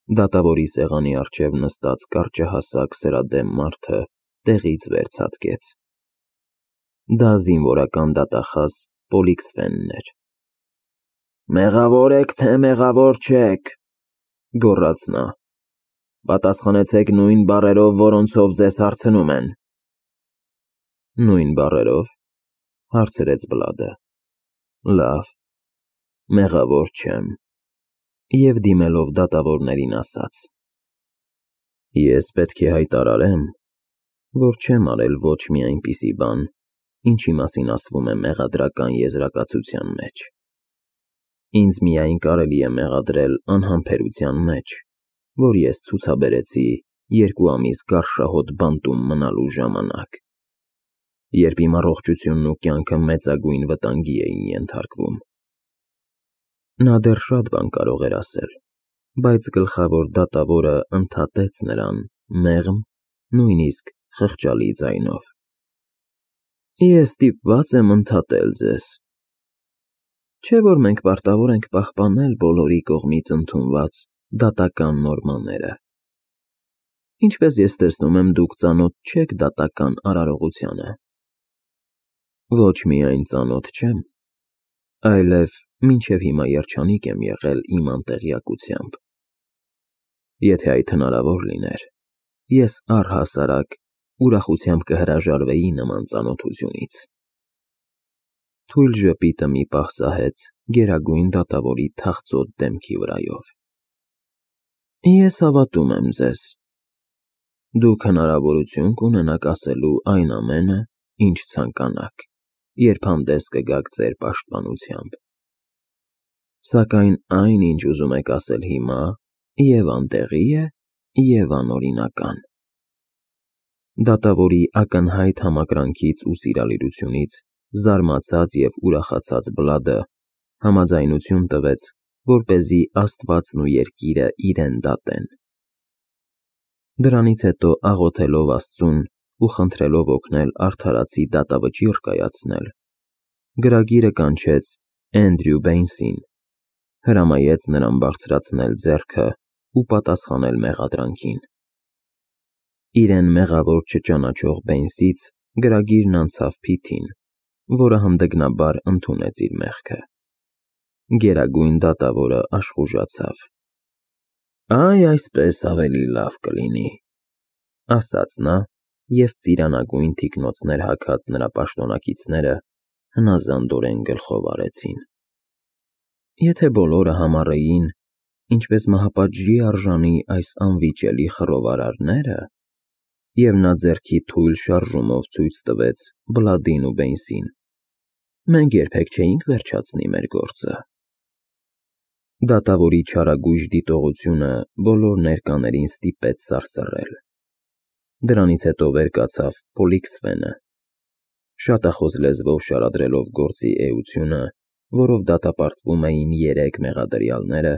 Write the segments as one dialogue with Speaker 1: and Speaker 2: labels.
Speaker 1: Դատավորի սեղանի առջև նստած կարճահասակ սրադեմ մարդը տեղից վեր ցատկեց։ Դա զինվորական դատախազ Պոլիքսֆենն էր։ «Մեղավոր եք, թե մեղավոր չեք», գոռաց նա։ «Պատասխանեցեք նույն բառերով, որոնցով ձեզ հարցնում են»։ Նույն բառերով, հարցրեց Բլադը։ Լավ, մեղավոր չեմ։ Եվ դիմելով դատավորներին ասաց. Ես պետք է հայտարարեմ, որ չեմ արել ոչ մի այնպիսի բան, ինչի մասին ասվում է մեղադրական եզրակացության մեջ։ Ինձ միայն կարելի է մեղադրել անհամբերության մեջ, որ ես ցուցաբերեցի 2 ամիս գարշահոտ բանտում մնալու ժամանակ, երբ իմ առողջությունն ու կյանքը մեծագույն վտանգի էին ենթարկվում։ Նա դեռ շատ բան կարող էր ասել, բայց գլխավոր դատավորը ընդհատեց նրան մեղմ, նույնիսկ խղճալի ձայնով. Ես ստիպված եմ ընդհատել ձեզ, չէ՞ որ մենք պարտավոր ենք պահպանել բոլորի կողմից ընդունված դատական նորմաները։ Ինչպես ես տեսնում եմ, դուք ծանոթ չեք դատական արարողությանը։ Ոչ միայն ծանոթ չեմ, այլև մինչև հիմա երջանիկ եմ եղել իմ անտեղյակությամբ։ Եթե այդ հնարավոր լիներ, ես առհասարակ ուրախությամբ կհրաժարվեի նման ծանոթությունից։ Թույլ ժպիտը մի պահ սահեց գերագույն դատավորի թախծոտ դեմքի վրայով։ Ես հավատում եմ ձեզ։ Դուք հնարավորություն կունենաք ասելու այն ամենը, ինչ ցանկանաք, երբ հանդես կգաք ձեր պաշտպանությամբ։ Սակայն այն, ինչ ուզում եք ասել հիմա, և անտեղի է, և անօրինական։ Դատավորի ակնհայտ համակրանքից ու սիրալիրությունից զարմացած և ուրախացած Բլադը համաձայնություն տվեց, որպեսզի Աստվածն ու երկիրը իրեն դատեն։ Դրանից հետո աղոթելով Աստծուն ու խնդրելով օգնել արդարացի դատավճիռ կայացնել, գրագիրը կանչեց Էնդրյու Բեյնսին, հրամայեց նրան բարձրացնել ձեռքը ու պատասխանել մեղադրանքին։ Իրեն մեղավոր չճանաչող Բեյնսից գրագիրն անցավ Փիթին, որը հանդգնաբար ընդունեց իր մեղքը։ Գերագույն դատավորը աշխուժացավ։ Այ այսպես ավելի լավ կլինի, ասաց նա, և ծիրանագույն թիկնոցներ հագած նրա պաշտոնակիցները հնազանդորեն գլխով արեցին։ Եթե բոլորը համառեին, ինչպես մահապատժի արժանի այս անվիճելի խռովարարները, և նա ձեռքի թույլ շարժումով ցույց տվեց Բլադին ու Բեյնսին, մենք երբեք չէինք վերջացնի մեր գործը։ Դատավորի չարագույժ դիտողությունը բոլոր ներկաներին ստիպեց սարսռել։ Դրանից հետո վեր կացավ Պոլիքսֆենը, շատախոս լեզվով շարադրելով գործի էությունը, որով դատապարտվում էին 3 մեղադրյալները,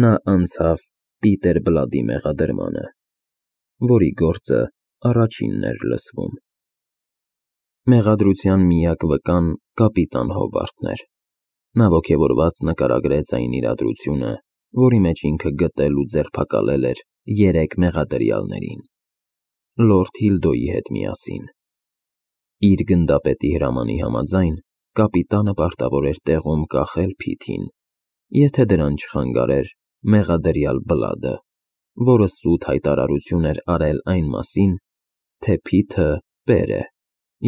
Speaker 1: նա անցավ Պիտեր Բլադի մեղադրմանը, որի գործը առաջինն էր լսվում։ Մեղադրության միակ վկան կապիտան Հոբարթն էր։ Նա ոգևորված նկարագրեց այն իրադրությունը, որի մեջ ինքը գտել ու ձերբակալել էր 3 մեղադրյալներին՝ լորդ Հիլդոյի հետ միասին։ Իր գնդապետի հրամանի համաձայն, կապիտանը պարտավոր էր տեղում կախել Փիթին, եթե դրան չխանգարեր մեղադրյալ Բլադը, որը սուտ հայտարարություն էր արել այն մասին, թե Փիթը պեր է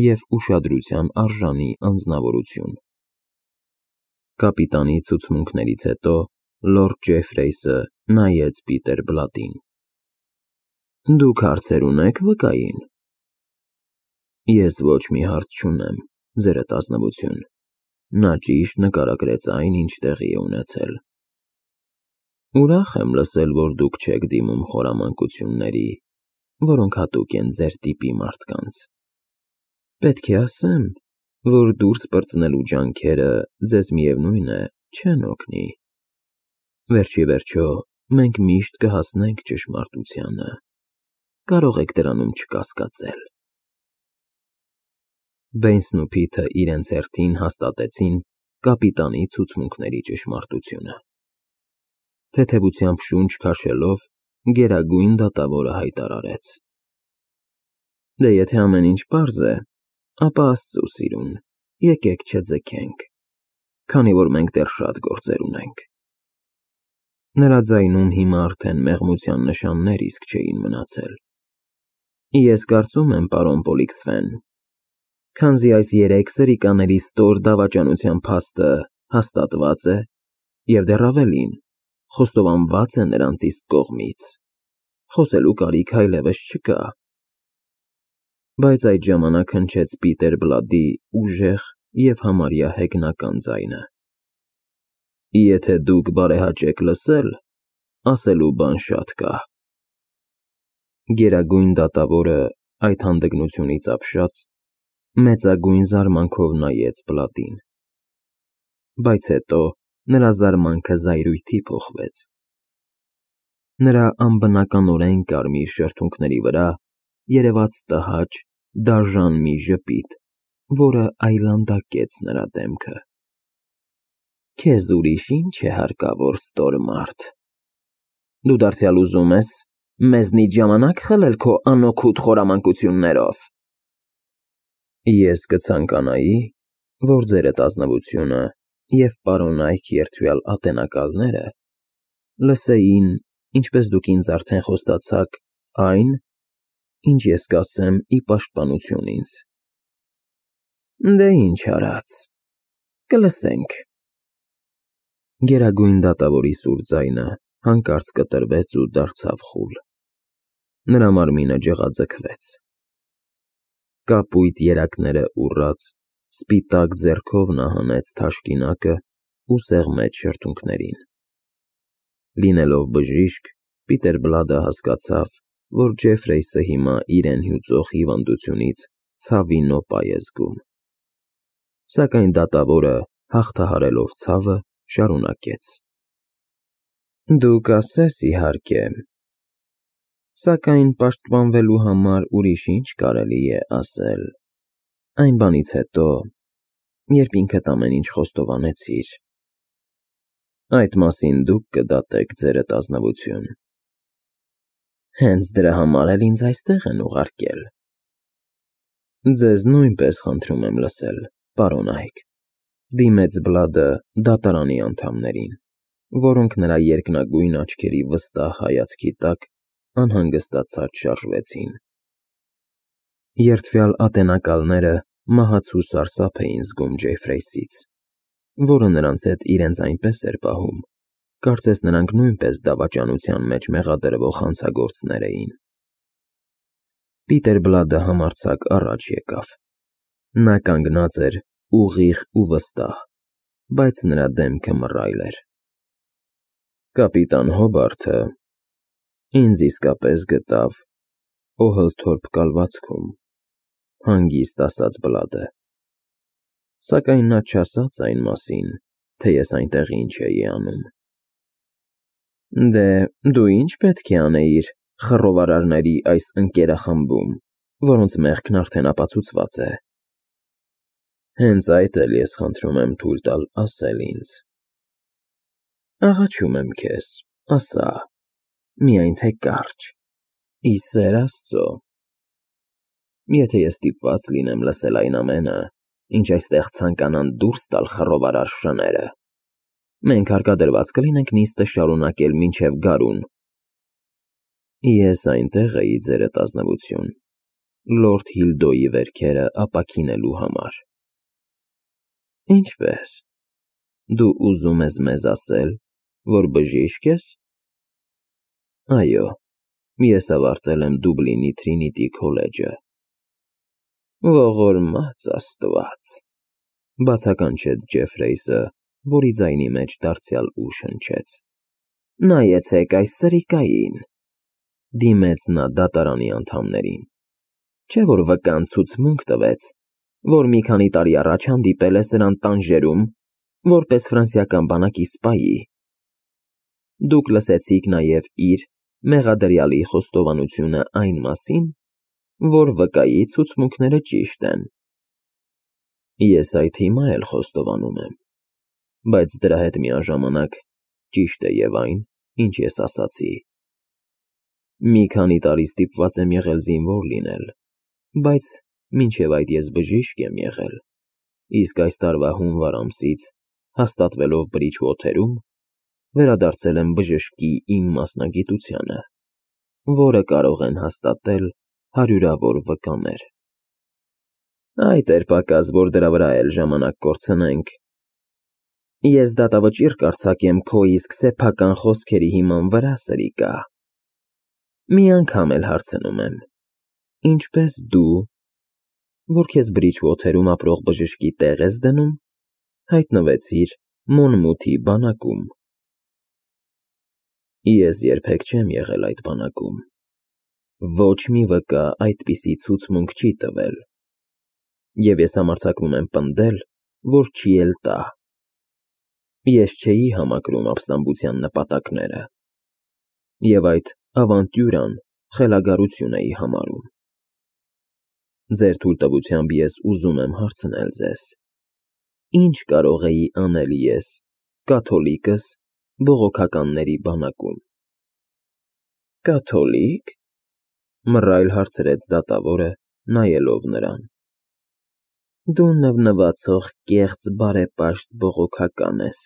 Speaker 1: և ուշադրության արժանի անձնավորություն։ Կապիտանի ցուցմունքներից հետո լորդ Ջեֆրեյսը նայեց Պիտեր Բլադին։ Դուք հարցեր ունե՞ք վկային։ Ես ոչ մի հարց չունեմ, ձերդ ազնվություն։ Նա ճիշտ նկարագրեց այն, ինչ տեղի է ունեցել։ Ուրախ եմ լսել, որ դուք չեք դիմում խորամանկությունների, որոնք հատուկ են ձեր տիպի մարդկանց։ Պետք է ասեմ, որ դուրս պրծնելու ջանքերը ձեզ միևնույն է չեն օգնի։ Վերջիվերջո, մենք միշտ կհասնենք ճշմարտությանը։ Կարող եք դրանում չկասկածել։ Բեյնսն ու Փիթը իրենց հերթին հաստատեցին կապիտանի ցուցմունքների ճշմարտությունը։ թեթևությամբ շունչ քաշելով, գերագույն դատավորը հայտարարեց. Դե եթե ամեն ինչ պարզ է, ապա Աստծու սիրուն, եկեք չձգենք, քանի որ մենք դեռ շատ գործեր ունենք։ Նրա ձայնում հիմա արդեն մեղմության նշաններ իսկ չէին մնացել։ Ես կարծում եմ, պարոն Պոլիքսֆեն, քանզի այս 3 սրիկաների ստոր դավաճանության փաստը հաստատված է և դեռ ավելին, խոստովանված է նրանց իսկ կողմից, խոսելու կարիք այլևս չկա։ Բայց այդ ժամանակ հնչեց Պիտեր Բլադի ուժեղ և համարյա հեգնական ձայնը. Եթե դուք բարեհաճ եք լսել, ասելու բան շատ կա։ Գերագույն դատավորը այդ հանդգնությունից ապշած մեծագույն զարմանքով նայեց Բլադին, բայց հետո նրա զարմանքը զայրույթի փոխվեց։ Նրա անբնականորեն կարմիր շրթունքների վրա երևաց տհաճ, դաժան մի ժպիտ, որը այլանդակեց նրա դեմքը։ Քեզ ուրիշ ինչ է հարկավոր, ստոր մարդ։ Դու դարձյալ ուզում ես մեզնից ժամանակ խլել քո անօգուտ խորամանկություններով։ Ես կցանկանայի, որ ձերդ ազնվությունը և պարոնայք երդվյալ ատենակալները լսեին, ինչպես դուք ինձ արդեն խոստացաք, այն, ինչ ես կասեմ ի պաշտպանություն ինձ։ Դե ինչ արած, կլսենք։ Գերագույն դատավորի սուր ձայնը հանկարծ կտրվեց ու դարձավ խուլ։ Նրա մարմինը ջղաձգվեց։ Կապույտ երակները ուռած, սպիտակ ձեռքով նա հանեց թաշկինակը ու սեղմեց շրթունքներին։ Լինելով բժիշկ, Պիտեր Բլադը հասկացավ, որ Ջեֆրեյսը հիմա իրեն հյուծող հիվանդությունից ցավի նոպա է զգում։ Սակայն դատավորը, հաղթահարելով ցավը, շարունակեց. Դու կասես, իհարկե, սակայն պաշտպանվելու համար ուրիշ ինչ կարելի է ասել, այն բանից հետո, երբ ինքդ ամեն ինչ խոստովանեցիր։ Այդ մասին դուք կդատեք ձերդ ազնվություն։ Հենց դրա համար էլ ինձ այստեղ են ուղարկել։ Ձեզ նույնպես խնդրում եմ լսել, պարոն Այք, դիմեց Բլադը դատարանի անդամներին, որոնք նրա երկնագույն աչքերի վստահ հայացքի տակ անհանգստացած շարժվեցին։ Երդվյալ ատենակալները մահացու սարսափ էին զգում Ջեֆրեյսից, որը նրանց հետ իրենց այնպես էր պահում, կարծես նրանք նույնպես դավաճանության մեջ մեղադրվող հանցագործներ էին։ Պիտեր Բլադը համարձակ առաջ եկավ։ Նա կանգնած էր ուղիղ ու վստահ, բայց նրա դեմքը մռայլ էր։ Կապիտան Հոբարթը ինձ իսկապես գտավ Օհլթորփ կալվածքում, հանգիստ ասաց Բլադը, սակայն նա չասաց այն մասին, թե ես այնտեղ ինչ էի անում։ Դե, դու ինչ պետք է անեիր խռովարարների այս ընկերախմբում, որոնց մեղքն արդեն ապացուցված է։ Հենց այդ էլ ես խնդրում եմ թույլ տալ ասել ինձ։ Աղաչում եմ քեզ, ասա, միայն թե կարճ, ի սեր Աստծո։ Եթե ես ստիպված լինեմ լսել այն ամենը, ինչ այստեղ ցանկանան դուրս տալ խռովարար շները, մենք հարկադրված կլինենք նիստը շարունակել մինչև գարուն։ Ես այնտեղ էի, ձերդ ազնվություն, լորդ Հիլդոյի վերքերը ապաքինելու համար։ Ինչպե՞ս։ Դու ուզում ես մեզ ասել, որ բժիշկ ես։ Այո, ես ավարտել եմ Դուբլինի Թրինիտի քոլեջը։ Ողորմած Աստված, բացականչեց Ջեֆրեյսը, որի ձայնի մեջ դարձյալ ուժ հնչեց։ Նայեցեք այս սրիկային, դիմեց նա դատարանի անդամներին։ Չէ՞ որ վկան ցուցմունք տվեց, որ մի քանի տարի առաջ հանդիպել է սրան Տանժերում, որպես ֆրանսիական բանակի սպայի։ Դուք լսեցիք նաև իր մեղադրյալի խոստովանությունը այն մասին, որ վկայի ցուցմունքները ճիշտ են։ Ես այդ հիմա էլ խոստովանում եմ, բայց դրա հետ միաժամանակ ճիշտ է և այն, ինչ ես ասացի։ Մի քանի տարի ստիպված եմ եղել զինվոր լինել, բայց մինչև այդ ես բժիշկ եմ եղել, իսկ այս տարվա հունվար ամսից, հաստատվելով Բրիջվոթերում, վերադարձել եմ բժշկի իմ մասնագիտությանը, որը կարող են հաստատել հարյուրավոր վկաներ։ Այդ էր պակաս, որ դրա վրա էլ ժամանակ կորցնենք։ Ես դատավճիռ կարձակեմ քո իսկ սեփական խոսքերի հիման վրա, սրիկա։ Մի անգամ էլ հարցնում եմ. ինչպես դու, որ քեզ Բրիջվոթերում ապրող բժշկի տեղ ես դնում, հայտնվեցիր Մոնմութի բանակում։ Ես երբեք չեմ եղել այդ բանակում։ Ոչ մի վկա այդպիսի ցուցմունք չի տվել։ Եվ ես համարձակվում եմ պնդել, որ չի էլ տա։ Ես չէի համակրում ապստամբության նպատակները։ Եվ այդ ավանտյուրան խելագարություն էի համարում։ Ձեր թույլտվությամբ ես ուզում եմ հարցնել ձեզ. ինչ կարող էի անել ես, կաթոլիկս, բողոքականների բանակում։ Կաթոլիկ, մռայլ հարցրեց դատավորը, նայելով նրան։ Դու նվնվացող կեղծ բարեպաշտ բողոքական ես։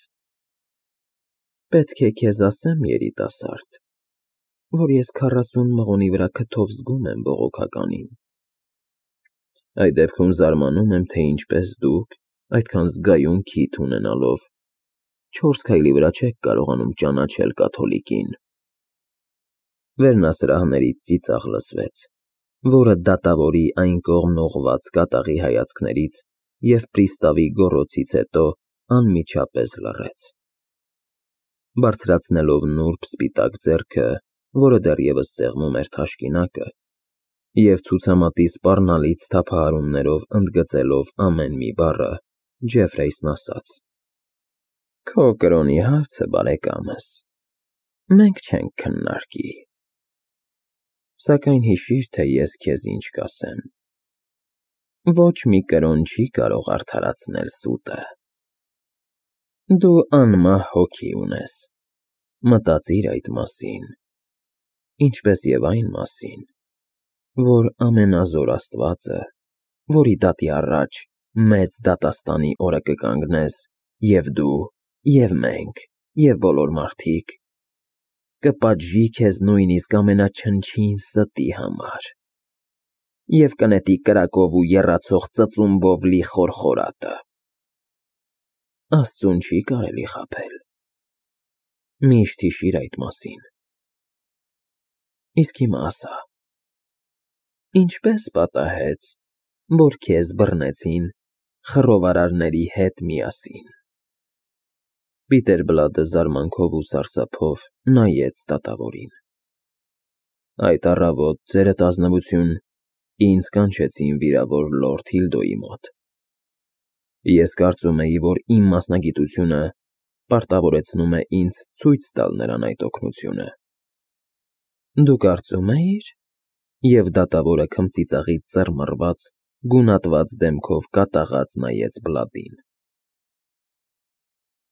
Speaker 1: Պետք է քեզ ասեմ, երիտասարդ, որ ես 40 մղոնի վրա քթով զգում եմ բողոքականին։ Այդ դեպքում զարմանում եմ, թե ինչպես դուք, այդքան զգայուն քիթ ունենալով, 4 քայլի վրա չեք կարողանում ճանաչել կաթոլիկին։ Վերնասրահներից ծիծաղ լսվեց, որը դատավորի այն կողմն ուղղված կատաղի հայացքներից և պրիստավի գոռոցից հետո անմիջապես լռեց։ Բարձրացնելով նուրբ սպիտակ ձեռքը, որը դեռևս սեղմում էր թաշկինակը, և ցուցամատի սպառնալից թափահարումներով ընդգծելով ամեն մի բառը, Ջեֆրեյսն ասաց. Քո կրոնի հարցը, բարեկամս, մենք չենք քննարկի։ Սակայն հիշիր, թե ես քեզ ինչ կասեմ. ոչ մի կրոն չի կարող արդարացնել սուտը։ Դու անմահ հոգի ունես, մտածիր այդ մասին, ինչպես և այն մասին, որ ամենազոր Աստվածը, որի դատի առաջ մեծ դատաստանի օրը կկանգնես և դու, և մենք, և բոլոր մարդիկ, կպատժի քեզ նույնիսկ ամենաչնչին ստի համար և կնետի կրակով ու եռացող ծծումբով լի խորխորատը։ Աստծուն չի կարելի խաբել։ Միշտ հիշիր այդ մասին։ Իսկ հիմա ասա, ինչպես պատահեց, որ քեզ բռնեցին խռովարարների հետ միասին։ Պիտերբլադը զարմանքով ու սարսափով նայեց դատավորին։ Այդ առավոտ, ձերդ ազնվություն, ինձ կանչեցին վիրավոր լորդ Հիլդոյի մոտ։ Ես կարծում էի, որ իմ մասնագիտությունը պարտավորեցնում է ինձ ցույց տալ նրան այդ օգնությունը։ Դու կարծում էիր, և դատավորը քմծիծաղից ծռմռված, գունատված դեմքով կատաղած նայեց Բլադին։